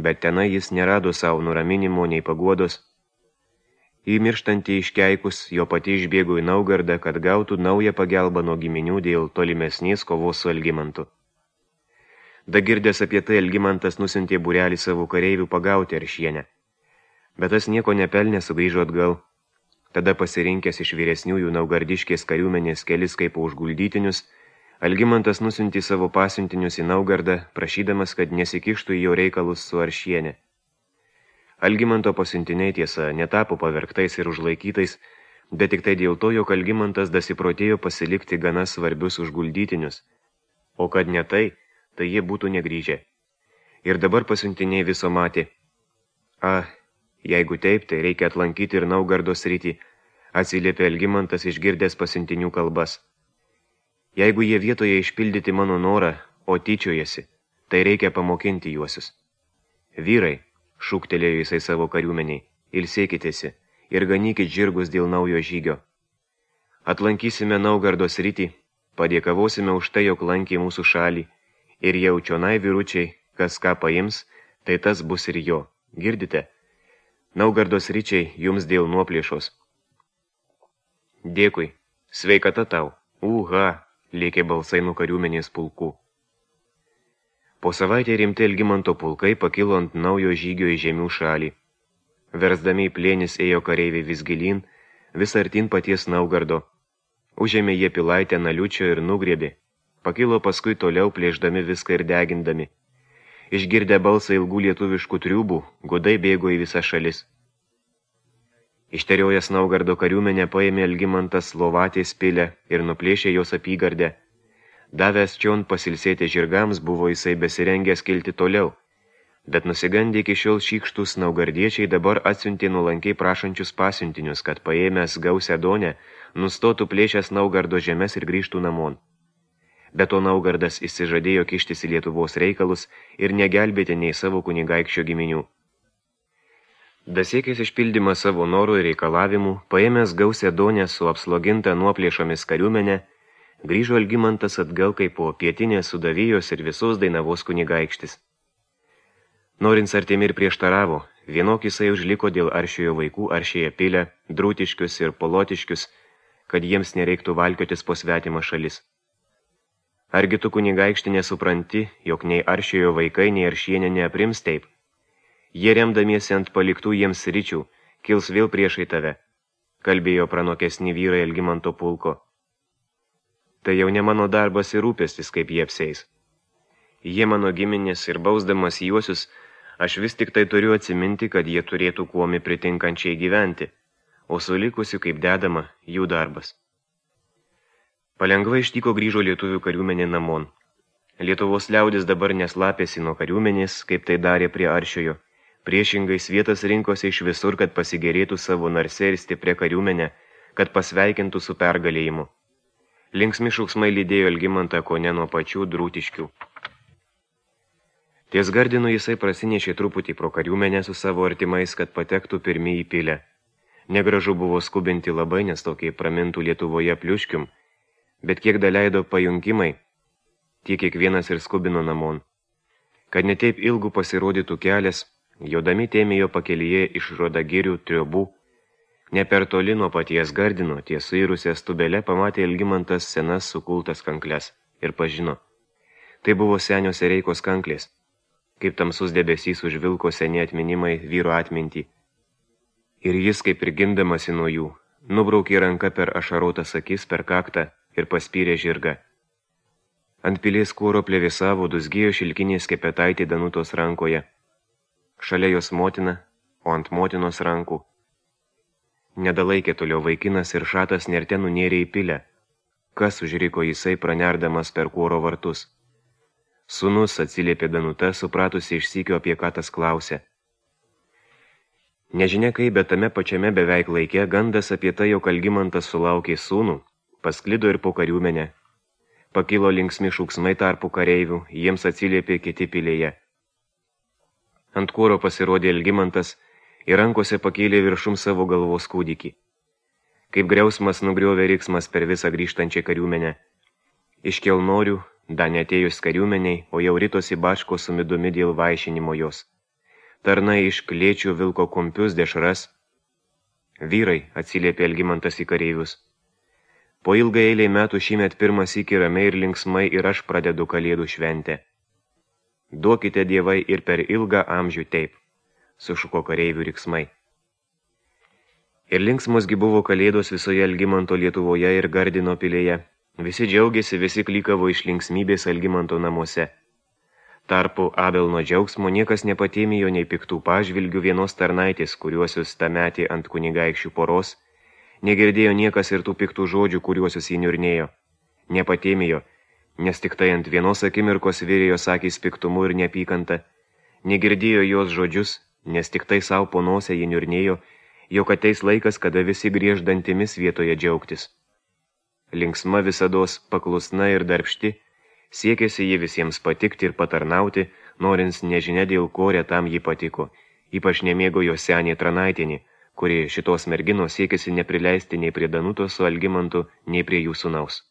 bet tenai jis nerado savo nuraminimo nei paguodos. Į mirštantį iškeikus jo pati išbėgo į Naugardą, kad gautų naują pagelbą nuo giminių dėl tolimesnės kovos su Algimantu. Dagirdęs apie tai Algimantas nusintė būrelį savo kareivių pagauti Aršienę. Bet tas nieko nepelnė sugrįžo atgal. Tada pasirinkęs iš vyresniųjų naugardiškės kariuomenės kelis kaip užguldytinius, Algimantas nusintė savo pasiuntinius į Naugardą, prašydamas, kad nesikištų į jo reikalus su Aršienė. Algimanto pasiuntiniai tiesa netapo pavergtais ir užlaikytais, bet tik tai dėl to, jog Algimantas dasiprotėjo pasilikti gana svarbius užguldytinius, o kad ne tai, tai jie būtų negrįžę. Ir dabar pasiuntiniai viso matė. A, jeigu taip, tai reikia atlankyti ir Naugardo sritį, atsiliepė Algimantas išgirdęs pasiuntinių kalbas. Jeigu jie vietoje išpildyti mano norą, o tyčiojasi, tai reikia pamokinti juosius. Vyrai, šūktelėjo jisai savo kariuomeniai, ilsėkitėsi ir ganykit žirgus dėl naujo žygio. Aplankysime Naugardo sritį, padėkavosime už tai, jog lankė mūsų šalį, ir jaučionai vyručiai, kas ką paims, tai tas bus ir jo. Girdite? Naugardo sričiai jums dėl nuoplėšos. Dėkui, sveikata tau, uha, lėkė balsai nuo kariuomenės pulkų. Po savaitę rimti Algimanto pulkai pakilo ant naujo žygio į žemių šalį. Versdami į plėnis ėjo kareiviai vis gilyn, vis artin paties Naugardo. Užėmė jie pilaitę Naliučio ir nugriebė. Pakilo paskui toliau plėšdami viską ir degindami. Išgirdę balsą ilgų lietuviškų triūbų, godai bėgo į visas šalis. Išteriojęs Naugardo kariuomenę paėmė Algimantas Lovatės pilę ir nuplėšė jos apygardę. Davęs čion pasilsėti žirgams, buvo jisai besirengęs kilti toliau, bet nusigandė iki šiol šykštus naugardiečiai dabar atsiuntė nuolankiai prašančius pasiuntinius, kad paėmęs gausią donę, nustotų plėšęs Naugardo žemes ir grįžtų namon. Bet to Naugardas išsižadėjo kištis į Lietuvos reikalus ir negelbėti nei savo kunigaikščio giminių. Dasiekęs išpildymą savo norų ir reikalavimų, paėmęs gausią donę su apsloginta nuoplėšomis kariuomenė, grįžo Algimantas atgal kaip po pietinės Sudavijos ir visos Dainavos kunigaikštis. Norins artimi ir prieštaravo, vienok jisai užliko dėl aršiojo vaikų aršėje pilę, drūtiškius ir polotiškius, kad jiems nereiktų valkiotis po svetimą šalis. Argi tu kunigaikšti nesupranti, jog nei aršiojo vaikai, nei Aršienė neaprims taip? Jie remdamiesi ant paliktų jiems sričių, kils vėl priešai tave, kalbėjo pranokesni vyrai Algimanto pulko. Tai jau ne mano darbas ir rūpestis, kaip jie apseis. Jie mano giminės ir bausdamas juosius, aš vis tik tai turiu atsiminti, kad jie turėtų kuomi pritinkančiai gyventi, o sulikusiu kaip dedama jų darbas. Palengva ištiko grįžo lietuvių kariuomenė namon. Lietuvos liaudis dabar neslapėsi nuo kariuomenės, kaip tai darė prie Aršiojo. Priešingai svietas rinkosi iš visur, kad pasigerėtų savo narse ir stiprią kariuomenę, kad pasveikintų su pergalėjimu. Linksmi šauksmai lydėjo Algimantą kone nuo pačių drūtiškių. Ties Gardinu jisai prasinešė truputį pro kariuomenę su savo artimais, kad patektų pirmi į pilę. Negražu buvo skubinti labai, nes tokiai pramintų Lietuvoje pliuškium, bet kiek daleido pajunkimai, tiek kiekvienas ir skubino namon. Kad netaip ilgų pasirodytų kelias, jodami tėmėjo pakelyje iš Rodagirių triobų, ne per toli nuo paties Gardino, ties suirusią stubelę pamatė Algimantas senas sukultas kankles ir pažino. Tai buvo senio Sereikos kanklės, kaip tamsus debesys užvilko seni atminimai vyro atmintį. Ir jis, kaip ir gindamasi nuo jų, nubraukė ranką per ašarotas akis, per kaktą ir paspyrė žirgą. Ant pilies kuoro plevėsavo dusgėjo šilkinės skepetaitė Danutos rankoje. Šalia jos motina, o ant motinos rankų. Nedalaikė toliau vaikinas ir šatas nerte nunėrė į pilę. Kas užriko jisai pranerdamas per kuoro vartus? Sūnus, atsiliepė Danuta, supratusi iš sykio, apie ką tas klausė. Nežinia kaip, bet tame pačiame beveik laike gandas apie tai, jog Algimantas sulaukė sūnų, pasklido ir po kariuomenę. Pakilo linksmi šūksmai tarpų kareivių, jiems atsiliepė kiti pilėje. Ant kūro pasirodė Algimantas ir rankose pakėlė viršum savo galvos kūdikį. Kaip griausmas nugriovė riksmas per visą grįžtančią kariuomenę. Iš kelnorių, dar neatėjus kariuomeniai, o jau ritosi bačko su midumi dėl vaišinimo jos. Tarnai iš klėčių vilko kumpius dešras. Vyrai, atsiliepė Algimantas į kareivius. Po ilgai eiliai metų šįmet pirmas iki ramiai ir linksmai ir aš pradedu kalėdų šventę. Duokite dievai ir per ilgą amžių taip, sušuko kareivių riksmai. Ir linksmosgi buvo kalėdos visoje Algimanto Lietuvoje ir Gardino pilėje. Visi džiaugiasi, visi klykavo iš linksmybės Algimanto namuose. Tarpu Abelno džiaugsmo niekas nepatėmijo nei piktų pažvilgių vienos tarnaitės, kuriuosius tą metį ant kunigaikščių poros, negirdėjo niekas ir tų piktų žodžių, kuriuosius jį niurnėjo. Nepatėmijo, nes tik tai ant vienos akimirkos virėjo sakys piktumu ir neapykanta, negirdėjo jos žodžius, nes tik tai savo po nosę jį niurnėjo, jog ateis laikas, kada visi griež dantimis vietoje džiaugtis. Linksma visados, paklusna ir darbšti, siekėsi jį visiems patikti ir patarnauti, norins nežinia dėl ko retam jį patiko, ypač nemėgo jo senė Tranaitinį, kuri šitos merginos siekėsi neprileisti nei prie Danutos su Algimantu, nei prie jų sūnaus.